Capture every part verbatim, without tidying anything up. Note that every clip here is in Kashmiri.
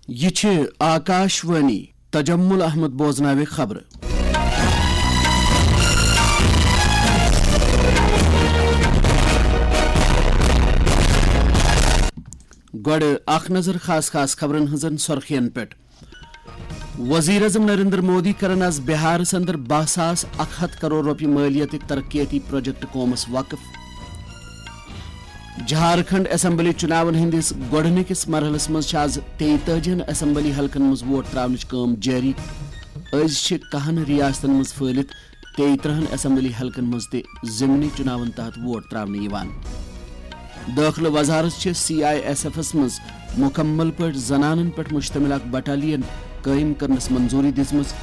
یہِ چھِ آکاش وانی۔ تجمل احمد بوزناوِ خبرٕ۔ گۄڈٕ اکھ نظر خاص خاص خبرن ہٕنٛزن سرخین پٮ۪ٹھ۔ وزیر اعظم نریندر مودی کرن از بہارس اندر باہ ساس اکھ ہتھ کرور رۄپیہِ مٲلیتٕکۍ ترقیتی پروجیکٹ قومس وقف۔ جھارکھنڈ اسمبلی چُناون ہٕنٛدِس گۄڈٕنِکِس مرحلس منٛز چھِ از تیٚیہِ تٲجی ہن اسمبلی حلقن منٛز ووٹ تراونٕچ کٲم جٲری۔ أزۍ چھِ کاہن ریاستن منٛز پھٔہلِتھ تیٚیہِ ترٕہن اسمبلی حلقن منٛز تہِ ضمنی چُناون تحت ووٹ تراونہٕ یِوان۔ دٲخلہٕ وزارت چھِ سی آئی ایس ایفس منٛز مُکمل پٲٹھۍ زنانن پٮ۪ٹھ مشتمل اکھ بٹالین قٲیِم کرنس منظوٗری دِژمٕژ۔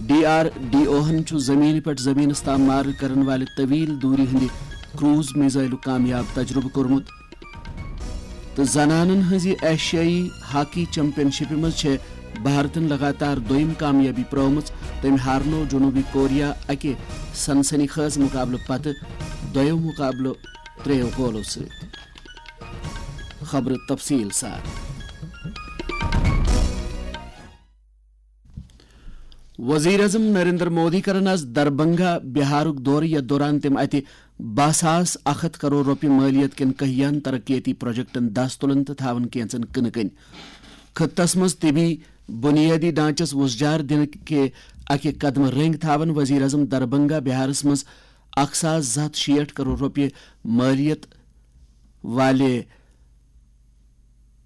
ڈی آر ڈی اوہن چھُ زمینہِ پٮ۪ٹھ زمینس تام مارٕ کرن والہِ طویل دوٗری ہٕنٛدِ کروز میزائلُک کامیاب تجربہٕ کوٚرمُت۔ تہٕ زنانن ہٕنٛزِ ایشیائی ہاکی چیمپین شپہِ منٛز چھےٚ بھارتن لگاتار دوٚیِم کامیٲبی پرٲومٕژ۔ تٔمۍ ہارنوو جنوبی کوریا اکہِ سنسنی خیز مقابلہٕ پتہٕ دۄیو مقابلہٕ ترٛیٚیو گولو سۭتۍ۔ خبرٕ تفصیل سان۔ وزیر اعظم نریندر مودی کرن از دربنگا بہارُک دورٕ، یتھ دوران تِم اتہِ باہ ساس اکھ ہتھ کرور رۄپیہِ مٲلیت کٮ۪ن کہیاہن ترقیتی پروجیکٹن دس تُلن تہٕ تھاون کینژن کٕنہٕ کٔنۍ۔ خطس منٛز طبی بنیٲدی ڈھانچس وُژجار دِنہٕ کہِ اکہِ قدمہٕ رٔنگۍ تھاون وزیر اعظم دربنگا بہارس منٛز اکھ ساس زٕ ہتھ شیٹھ کرور رۄپیہِ مٲلیت والہِ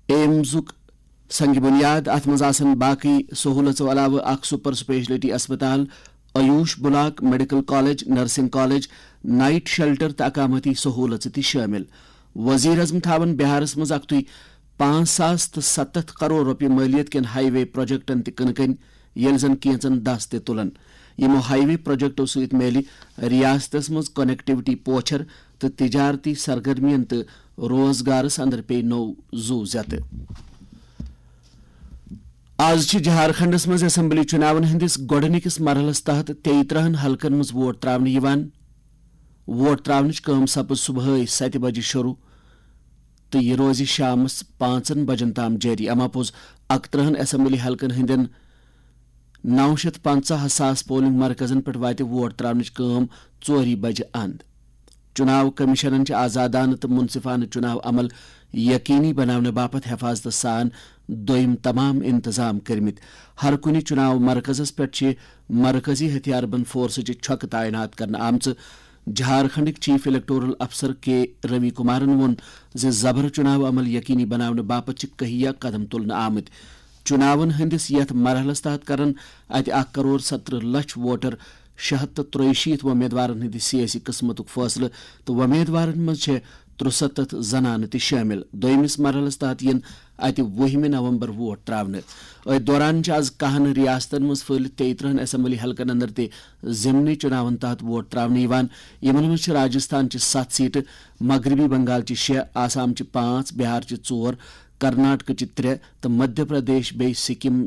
ایمزُک سنگ بنیاد۔ اتھ منٛز آسن باقی سہولژو علاوٕ اکھ سپر سپیشلٹی اسپتال، AYUSH block, medical college, nursing college, night shelter تہٕ اقامتی سہولژٕ تہِ شٲمِل۔ وزیر اعظم تھاون بہارس منٛز اکھتُے پانٛژھ ساس تہٕ ستتھ کرور رۄپیہِ مٲلیت کٮ۪ن ہائی وے پروجیکٹن تہِ کٕنہٕ کٔنۍ، ییٚلہِ زن کینژن دس تہِ تُلن۔ یِمو ہائی وے پروجیکٹو سۭتۍ میلہِ ریاستس منٛز کنیکٹیویٹی پوچھر تہٕ تجارتی سرگرمین تہٕ روزگارس اندر پیٚیہِ نوٚو زُو زیتہٕ۔ از چھِ جھارکھنڈس منٛز اسمبلی چُناون ہٕنٛدِس گۄڈٕنِکِس مرحلس تحت تیٚیہِ ترٕہن حلقن منٛز ووٹ تراونہٕ یِوان۔ ووٹ تراونٕچ کٲم سپٕز صبحٲے ستہِ بجہِ شروع تہٕ یہِ روزِ شامس پانٛژن بجن تام جٲری۔ اما پوٚز اکترٕہن اسمبلی حلقن ہٕنٛدٮ۪ن نو شیتھ پنژاہ ساس پولنگ مرکزن پٮ۪ٹھ واتہِ ووٹ تراونٕچ کٲم ژورِ بجہِ اند۔ چُناو کمیشنن چھِ آزادانہٕ تہٕ منصفانہٕ چُناو عمل یقینی بناونہٕ باپتھ حفاظتہٕ سان دوٚیِم تمام انتظام کٔرمٕتۍ۔ ہر کُنہِ چُناو مرکزس پٮ۪ٹھ چھِ مرکزی ہتھیار بند فورسٕچہِ چھۄکہٕ تعینات کرنہٕ آمژٕ۔ جھارکھنڈٕکۍ چیف الیکٹورل افسر کے روی کمارن ووٚن زِ زبر چُناو عمل یقینی بناونہٕ باپتھ چھِ کہیا قدم تُلنہٕ آمٕتۍ۔ چُناون ہٕنٛدِس یتھ مرحلس تحت کرن اتہِ اکھ کرور ستترٕہ لچھ ووٹر شےٚ ہتھ تہٕ ترٛیہِ شیٖتھ وۄمیدوارن ہٕنٛدِ سیٲسی قٕسمتُک فٲصلہٕ، تہٕ وۄمیدوارن منٛز چھےٚ ترُستتھ زنانہٕ تہِ شٲمِل۔ دوٚیمِس مرحلس تحت یِن اتہِ وُہمہِ نومبر ووٹ تراونہٕ۔ أتھۍ دوران چھِ از کاہن ریاستن منٛز پھٔہلِتھ تیٚیہِ ترٕہن اسمبلی حلقن اندر تہِ ضمنی چُناون تحت ووٹ تراونہٕ یِوان۔ یِمن منٛز چھِ راجستھان چہِ ستھ سیٹہٕ، مغربی بنگال چہِ شےٚ، آسام چہِ پانٛژھ، بہار چہِ ژور، کرناٹکہ چہِ ترٛےٚ تہٕ مدھیہ پردیش بیٚیہِ سکم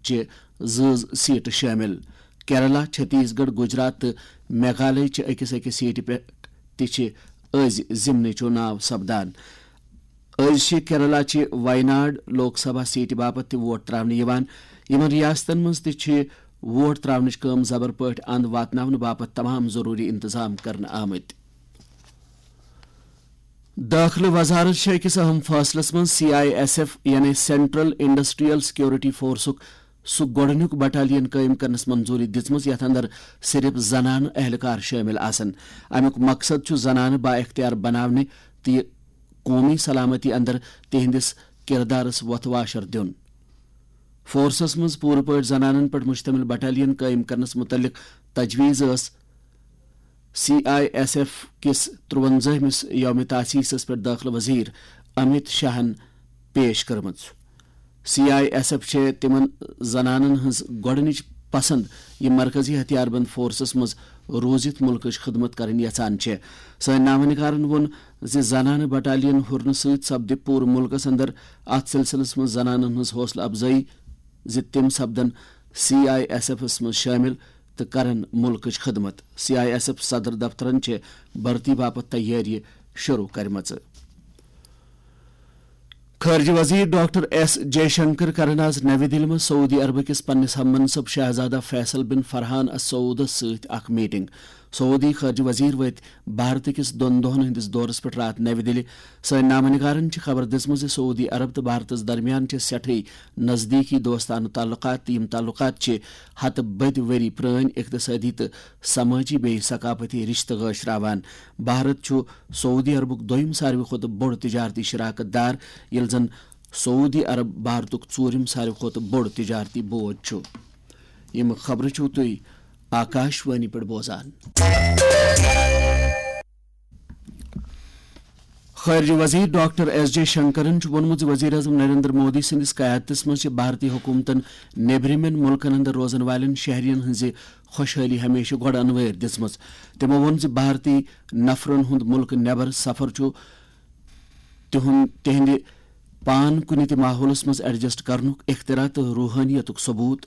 چہِ زٕ سیٹہٕ شٲمِل۔ کیرلا، چھتیس گڑھ، گجرات تہٕ میگھالیہ چہِ أکِس أکِس سیٹہِ پٮ۪ٹھ تہِ چھِ أزۍ ضمنی چُناو سپدان۔ أزۍ چھِ کیرلا چہِ ویناڈ لوک سبھا سیٹہِ باپتھ تہِ ووٹ تراونہٕ یِوان۔ یِمن ریاستن منٛز تہِ چھِ ووٹ تراونٕچ کٲم زبر پٲٹھۍ اند واتناونہٕ باپتھ تمام ضروری انتظام کرنہٕ آمٕتۍ۔ دٲخلہٕ وزارت چھےٚ أکِس اہم فٲصلس منٛز سی آئی ایس ایف یعنی سینٹرل انڈسٹریل سیکورٹی فورسُک سُہ گۄڈٕنیُک بٹالین قٲیِم کرنس منظوٗری دِژمٕژ یتھ اندر صرف زنانہٕ اہلکار شٲمِل آسن۔ امیُک مقصد چھُ زنانہٕ با اختیار بناونہِ تہٕ یہِ قومی سلامتی اندر تِہنٛدِس کردارس وۄتھٕ واشر دیُن۔ فورسس منٛز پوٗرٕ پٲٹھۍ زنانن پٮ۪ٹھ مشتمل بٹالین قٲیِم کرنس متعلق تجویز ٲس سی آئی ایس ایف کِس ترٛوَنزٲہمِس یوم تاسیسس پٮ۪ٹھ دٲخلہٕ وزیر امیت شاہن پیش کٔرمٕژ۔ سی آئی ایس ایف چھےٚ تِمن زنانن ہٕنٛز گۄڈٕنِچ پسند، یِم مرکزی ہتھیار بند فورسس منٛز روٗزِتھ مُلکٕچ خدمت کرٕنۍ یژھان چھےٚ۔ سٲنۍ نامہ نگارن ووٚن زِ زنانہٕ بٹالین ہُرنہٕ سۭتۍ سپدِ پوٗرٕ مُلکس اندر اتھ سلسلس منٛز زنانن ہٕنٛز حوصلہٕ افزٲیی زِ تِم سپدن سی آئی ایس ایفس منٛز شٲمِل تہٕ کرن مُلکٕچ خدمت۔ سی آئی ایس ایف صدر دفترن چھےٚ بھرتی باپتھ تیٲری شروع کرِمژٕ۔ خارجہ وزیر ڈاکٹر ایس جے شنکر کرن آز نوی دہلی منٛز سعودی عربہٕ کِس پننِس ہم منصب شہزادہ فیصل بن فرحان السعودس سۭتۍ اکھ میٹنگ۔ سعودی خارجہ وزیر وٲتۍ بھارت کِس دۄن دۄہن ہٕنٛدِس دورس پٮ۪ٹھ راتھ نوی دہلی۔ سٲنۍ نامہ نگارن چھِ خبر دِژمٕژ زِ سعودی عرب تہٕ بھارتس درمیان چھِ سٮ۪ٹھٕے نزدیٖکی دوستانہٕ تعلقات، تہٕ یِم تعلقات چھِ ہتہٕ بٔدۍ ؤری پرٲنۍ اقتصٲدی تہٕ سمٲجی بیٚیہِ ثقافتی رشتہٕ گٲشراوان۔ بھارت چھُ سعودی عربُک دوٚیِم ساروی کھۄتہٕ بوٚڑ تجارتی شراکت دار، ییٚلہِ زن سعودی عرب بھارتُک ژوٗرِم ساروی کھۄتہٕ بوٚڑ تجارتی بوج چھُ۔ یِم خبرٕ چھِو تُہۍ آکاش وانی پٮ۪ٹھ بوزان۔ خارجہ وزیر ڈاکٹر ایس جے شنکرن چھُ ووٚنمُت زِ وزیر اعظم نریندر مودی سٕنٛدِس قیادتس منٛز چھِ بھارتی حکومتن نیبرِمٮ۪ن مُلکن اندر روزن والٮ۪ن شہرین ہٕنٛزِ خۄشحٲلی ہمیشہٕ گۄڈٕ انوٲرۍ دِژمٕژ۔ تِمو ووٚن زِ بھارتی نفرن ہُنٛد مُلکہٕ نٮ۪بر سفر چھُ تِہُنٛد، تِہنٛدِ پان کُنہِ تہِ ماحولس منٛز ایڈجسٹ کرنُک اختراع تہٕ روحٲنیتُک ثبوت۔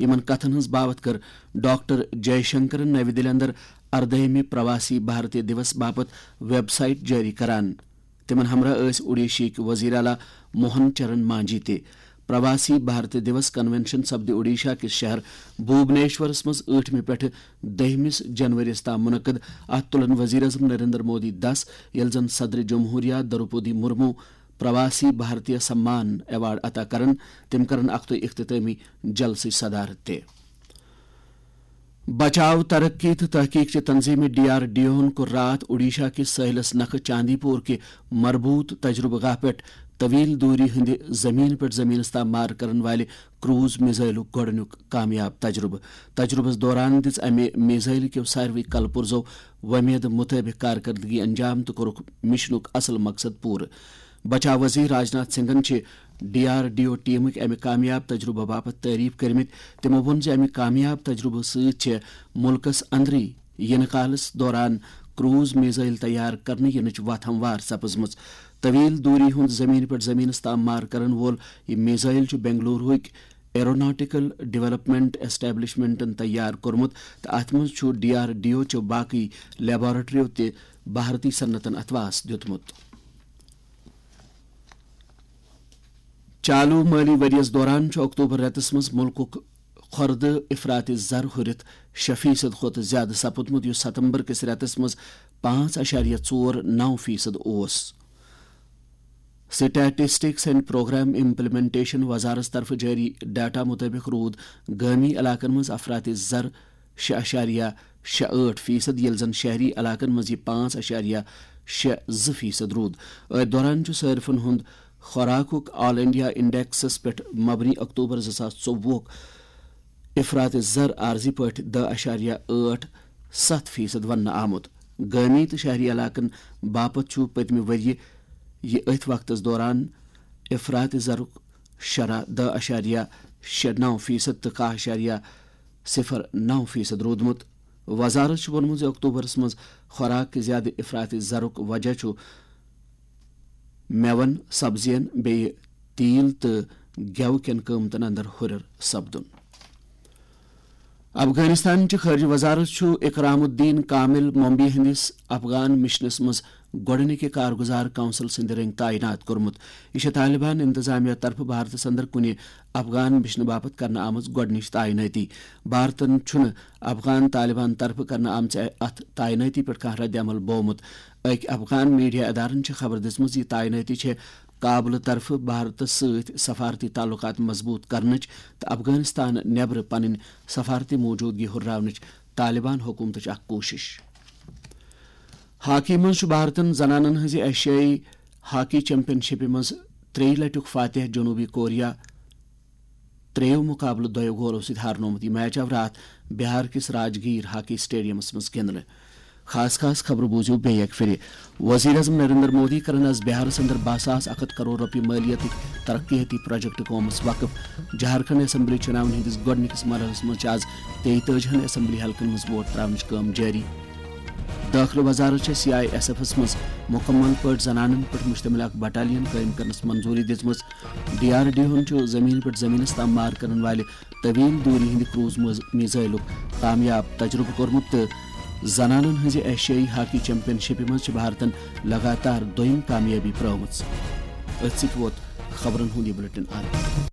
یِمن کتھن ہٕنٛز باوتھ کٔر ڈاکٹر جے شنکرن نوِ دِلہِ اندر اردٲہمہِ پرواسی بھارتیہ دیوس باپتھ ویب سائٹ جٲری کران۔ تِمن ہمراہ ٲسۍ اوڈیشہٕکۍ وزیر اعلیٰ موہن چرن مانجھی تہِ۔ پرواسی بھارتیہ دیوس کنونشن سپدِ اوڈیشہ کِس شہر بھوبنیشورس منٛز ٲٹھمہِ پٮ۪ٹھٕ دٔہمِس جنوریَس تام منعقد۔ اتھ تُلن وزیر اعظم نریندر مودی دس، ییٚلہِ زن صدر جمہوریہ دروپدی مرمو پرواسی بھارتیہ سمان ایوارڈ عطا کرن۔ تِم کرن اکھتُے اختتٲمی جلسٕچ صدارت تہِ۔ بچاو، ترقی تہٕ تحقیق چہِ تنظیمہِ ڈی آر ڈی اوہن کوٚر راتھ اوڈیشہ کِس سٲحلس نکھٕ چاندی پور کہِ مربوط تجربہٕ گاہ پٮ۪ٹھ طویل دوری ہٕنٛدِ زمین پٮ۪ٹھ زمینس تام مار کرن والہِ کروز میزائلُک گۄڈٕنیُک کامیاب تجربہٕ۔ تجربس دوران دِژ امہِ میزائل کیو ساروٕے کلہٕ پُرزو وۄمید مطٲبق کارکردگی انجام تہٕ کوٚرُکھ مشنُک اصل مقصد پوٗرٕ۔ بچاو وزیر راجناتھ سنگھن چھِ ڈی آر ڈی او ٹیمٕکۍ امہِ کامیاب تجربہٕ باپتھ تعریف کٔرمٕتۍ۔ تِمو ووٚن زِ امہِ کامیاب تجربہٕ سۭتۍ چھِ مُلکس اندرٕے یِنہٕ کالس دوران کروز میزائل تیار کرنہٕ یِنٕچ وتھ ہموار سپٕزمٕژ۔ طویل دوری ہُنٛد زمین پٮ۪ٹھ زمینس تام مار کرن وول یہِ میزائل چھُ بنگلوروٕکۍ ایروناٹیکل ڈیولپمنٹ اسٹیبلشمنٹن تیار کوٚرمُت تہٕ اتھ منٛز چھُ ڈی آر ڈی او چو باقٕے لیبارٹریو تہِ بھارتی صنعتن اتھواس دیُتمُت۔ چالو مٲلی ؤریَس دوران چھُ اکتوبر رٮ۪تَس منٛز مُلکُک خۄردٕ افراط زر ہُرِتھ شےٚ فیصد کھۄتہٕ زِیٛادٕ سپُدمُت، یُس ستمبر کِس رٮ۪تَس منٛز پانٛژھ اعشاریہ ژور نو فیصد اوس۔ سٹیٹسٹکس اینڈ پروگرام امپلیمنٹیشن وزارت طرفہٕ جٲری ڈیٹا مُطٲبِق روٗد گٲمی علاقن منٛز افراط زر شےٚ اعشاریہ شےٚ ٲٹھ فیصد، ییٚلہِ زن شہری علاقن منٛز یہِ پانٛژھ اعشاریہ شےٚ زٕ فیصد روٗد۔ أتھۍ دوران چھُ صٲرفن ہُنٛد خوراکُک آل انڈیا انڈیکسس پٮ۪ٹھ مبنی اکتوبر زٕ ساس ژوٚوُہُک افراط زر عارضی پٲٹھۍ دَہ اعشاریہ ٲٹھ ستھ فیصد وننہٕ آمُت۔ گٲمی تہٕ شہری علاقن باپتھ چھُ پٔتمہِ ؤرۍ یہِ أتھۍ وقتس دوران افراط زرُک شرح دَہ اعشاریہ شےٚ نو فیصد تہٕ کاہ اعشاریہ صفر نو فیصد روٗدمُت۔ وزارت چھُ ووٚنمُت زِ اکتوبرس منٛز خوراک کہِ زیادٕ افراط زرُک وجہ چھُ مٮ۪وَن، سبزین، بیٚیہِ تیٖل تہٕ گٮ۪و کٮ۪ن قۭمتن اندر ہُرٮ۪ر سپدُن۔ افغانستان چہِ خارجہ وزارت چھُ اکرام الدین کامل ممبئی ہٕنٛدِس افغان مشنس منٛز گۄڈٕنِکہِ کارگزار کونسل سٕنٛدِ رٔنگۍ تعینات کوٚرمُت۔ یہِ چھےٚ طالبان انتظامیہ طرفہٕ بھارتس اندر کُنہِ افغان مشنہٕ باپتھ کرنہٕ آمٕژ گۄڈٕنِچ تعینٲتی۔ بھارتن چھُنہٕ افغان طالبان طرفہٕ کرنہٕ آمژِ اتھ تعینٲتی پٮ۪ٹھ کانٛہہ رد عمل بوومُت۔ أکۍ افغان میڈیا ادارن چھِ خبر دِژمٕژ، یہِ تعینٲتی چھےٚ کابلہٕ طرفہٕ بھارتس سۭتۍ سفارتی تعلقات مضبوط کرنٕچ تہٕ افغانستان نٮ۪برٕ پنٕنۍ سفارتی موجودگی ہُرراونٕچ طالبان حکومتٕچ اکھ کوٗشش۔ ہاکی منٛز چھُ بھارتن زنانن ہٕنٛزِ ایشیائی ہاکی چیمپین شپہِ منٛز ترٛیٚیہِ لٹیُک فاتح جنوبی کوریا ترٛیٚیو مقابلہٕ دۄیو گولو سۭتۍ ہارنومُت۔ یہِ میچ آو راتھ بہار کِس راجگیر ہاکی اسٹیڈیمس منٛز گِنٛدنہٕ۔ خاص خاص خبرٕ بوٗزِو بیٚیہِ اکہِ پھِرِ۔ وزیر اعظم نریندر مودی کرن آز بہارس اندر باہ ساس اکھ ہتھ کرور رۄپیہِ مٲلیتٕکۍ ترقیتی پروجیکٹ قومس وقف۔ جھارکھنڈ اسمبلی چُناون ہٕنٛدِس گۄڈٕنِکِس مرحلس منٛز چھِ آز تیٚیہِ تٲجی ہن اسمبلی حلقن منٛز ووٹ تراونٕچ کٲم جٲری۔ دٲخلہٕ وزارت چھےٚ سی آئی ایس ایفس منٛز مُکمل پٲٹھۍ زنانن پٮ۪ٹھ مشتمل اکھ بٹالین قٲیِم کرنس منظوٗری دِژمٕژ۔ ڈی آر ڈی اوہن چھُ زمین پٮ۪ٹھ زمینس تام مار کرن والہِ طویل دوٗری ہٕنٛدِ کروز مز-، میزائلُک کامیاب تجربہٕ کوٚرمُت تہٕ زنانن ہٕنٛزِ ایشیائی ہاکی چیمپین شپہِ منٛز چھِ بھارتن لگاتار دوٚیِم کامیٲبی پرٲومٕژ۔ أتھۍ سۭتۍ ووت خبرن ہُنٛد یہِ بلیٹن اند۔